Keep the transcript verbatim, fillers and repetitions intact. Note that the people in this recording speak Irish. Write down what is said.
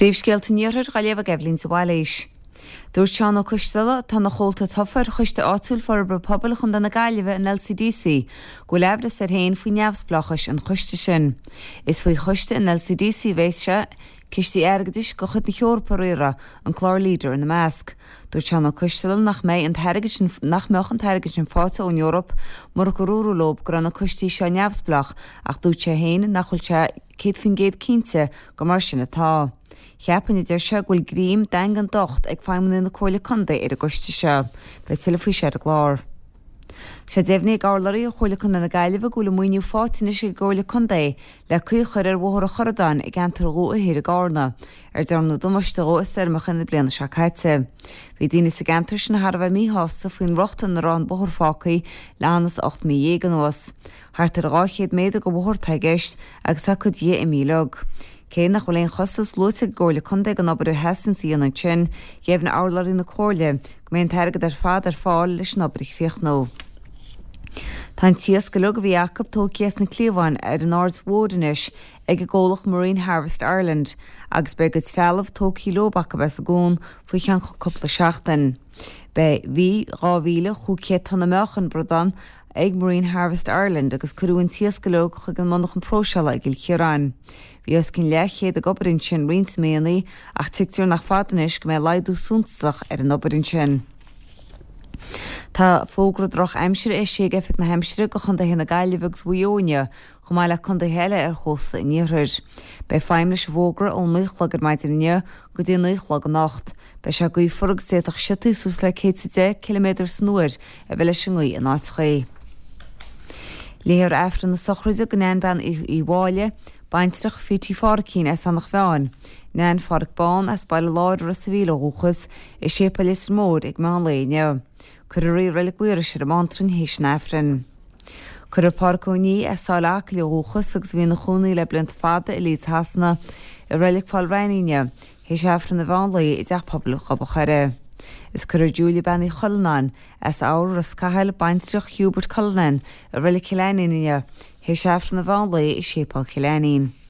Príomhscéalta an Iarthair á léamh ag Eibhlín de Bhailís. Dúirt Seán Ó Coisteala, atá ina chomhalta tofa ar Choiste Áitiúil Forbartha Pobail Chontae na Gaillimhe, an L C D C, go bhfuil aimhreas air féin faoi neamhspleáchas an choiste sin. Is faoi choiste an L C D C a bheas sé cistí airgeadais de chuid na hEorpa a riaradh, an clár Leader ina measc. Dúirt Seán Ó Coisteala nach mbeidh an t-airgead sin nach mbeadh an t-airgead sin faighte ón Eoraip murach gur dúradh leo go raibh na coistí seo neamhspleách, ach dúirt sé féin nach bhfuil sé céad faoin gcéad cinnte gur mar sin atá. Cheapfainn, a deir sé, go bhfuil greim daingean docht ag feidhmeannaigh na Comhairle Contae ar an gcoiste seo. Beidh tuilleadh faoi seo ar an gclár. Sé deimhnithe ag urlabhraí ó Chomhairle Contae na Gaillimhe go bhfuil an maoiniú faighte anois ag an gComhairle Contae le caoi a chur ar Bhóthar an Chorradáin i gceantar Dhumha Thoir i gCarna, ar dearnadh damáiste dhó i stoirmeacha na bliana seo caite. Bhí daoine sa gceantar sin thar a bheith míshásta faoin riocht ina raibh an bóthar fágtha le hanas ocht mí dhéag anuas. Thart ar dhá chéad méadar de bhóthar atá i gceist agus tá cuid dhe imithe uilig. Cé nach bhfuil aon chostas luaite ag an gComhairle Contae don obair a theastaíonn a dhéanamh ansin, dheimhnigh urlabhraí na Comhairle go mbeidh an t-airgead ar fad ar fáil leis an obair a chríochnú. Tá an t-iasc uilig a bhí acu tógtha as na cliabháin ar an Aird Mhór anois ag an gcomhlacht Marine Harvest Ireland, agus beidh a gcuid trealamh tógtha leo acu as an gcuan faoi cheann cúpla seachtain. Beidh bhí dhá mhíle cúig chéad tonna meáchain bradán ag Marine Harvest Ireland agus cuireadh an t-iasc uilig chuig an monarchan próiseála i gCill Chiaráin. Bhí os cionn leathchéad ag obair ansin roinnt míonna, ach tuigtear nach fada anois go mbeidh laghdú suntasach ar an obair ansin. Tá fógra drochaimsire eisithe ag Oifig na hAimsire do chontaetha na Gaillimhe agus Mhaigh Eo, chomh maith le contaetha eile ar chósta an iarthair. Beidh feidhm leis an bhfógra ón naoi a chlog ar maidin inniu go dtí naoi a chlog anocht. Beidh sé gaofar agus d'fhéadfadh siotaí suas le céad is a deich ciliméadar san uair a bheith leis an ngaoth in áiteacha. Léifear Aifreann na sochraide do Nan Bean Uí Mháille, baintreach Phítí Phádraicín as Eanach Mheáin, Nan Phádraic Bán as Baile Láir Ros an Mhíl ó dhúchas, i Séipéal Leitir Móir ag meán lae inniu. Cuirfear í i Reilig Mhaorais ar an mBeanntrainn théis an Aifrinn. Cuirfear Pádraic Ó Ní as Sáile Acaill ó dhúchas agus a bhí ina chónaí le blianta fada i Leeds Shasana i Reilig Pholl Raithní inniu, théis Aifreann an mheán lae i dteach pobail Ghob an Choire. Is cuirfear Julia Bean Uí Chuilleanáin as Eabhar Ros Cathail, baintreach Hubert Cullinan, i Reilig Chill Ainnín inniu, théis Aifreann an mheán lae i Séipéal Chill Ainnín.